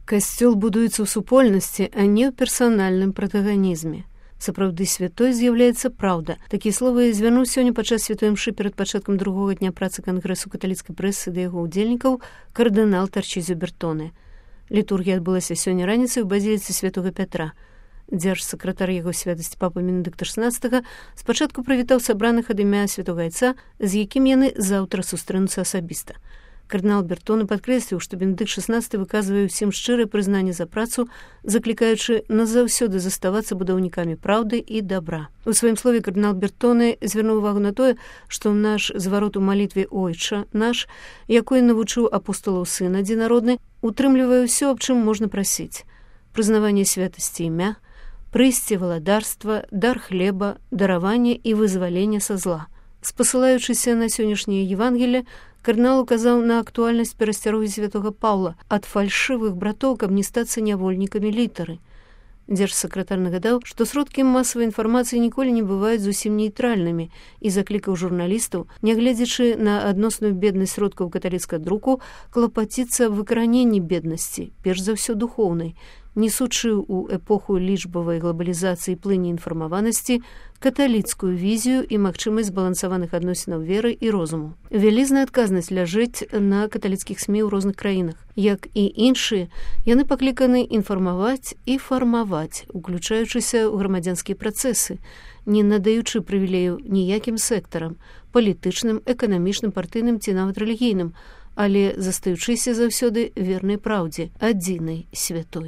Касцёл будуецца ў супольнасці, а не ў персанальным пратаганізме. Сапраўды святой з'яўляецца праўда. Такія словы звярнуў сёння падчас святой імшы перад пачаткам другога дня працы Кангрэсу каталіцкай прэсы да яго ўдзельнікаў кардынал Тарчызіо Бертоне. Літургія адбылася сёння раніцай у базіліцы святога Пятра. Дзяржсакратар яго святасці папа Бенедыкт XVI спачатку прывітаў сабраных ад імя святога айца, з якім яны заўтра сустрэнуцца асабіста. Кардынал Бертоне падкрэсліў, што Бенедыкт XVI выказвае ўсім шчырае прызнанне за працу, заклікаючы назаўсёды заставацца будаўнікамі праўды і дабра. У сваім слове кардынал Бертоне звярнуў увагу на тое, што наш зварот у малітве «Ойча наш», якой навучыў апостолаў сын адзінародны, утрымлівае ўсё, аб чым можна прасіць: прызнаванне святасці імя, прыйсце валадарства, дар хлеба, дараванне і вызвалення са зла. Спасылаючыся на сённяшняе Евангелие, кардынал указаў на актуальнасць перасцярогі святога Паўла ад фальшывых братоў, каб не стацца нявольнікамі літары. Дзяржсакратар нагадаў, што сродкі масавай інфармацыі ніколі не бываюць зусім нейтральнымі і заклікаў журналістаў, нягледзячы на адносную беднасць сродкаў каталіцкага друку, клапаціцца аб выкараненні беднасці, перш за ўсё духоўнай, несучы ў эпоху лічбавай глобалізацыі і плыні інфармаванасці каталіцкую візію і магчымасць збалансаваных адносінаў веры і розуму. Вялізная адказнасць ляжыць на каталіцкіх СМІ ў розных краінах. Як і іншыя, яны пакліканы інфармаваць і фармаваць, уключаючыся ў грамадзянскія працэсы, не надаючы прывілею ніякім сектарам, палітычным, эканамічным, партыйным ці нават рэлігійным, але застаючыся заўсёды вернай праўдзе, адзінай святой.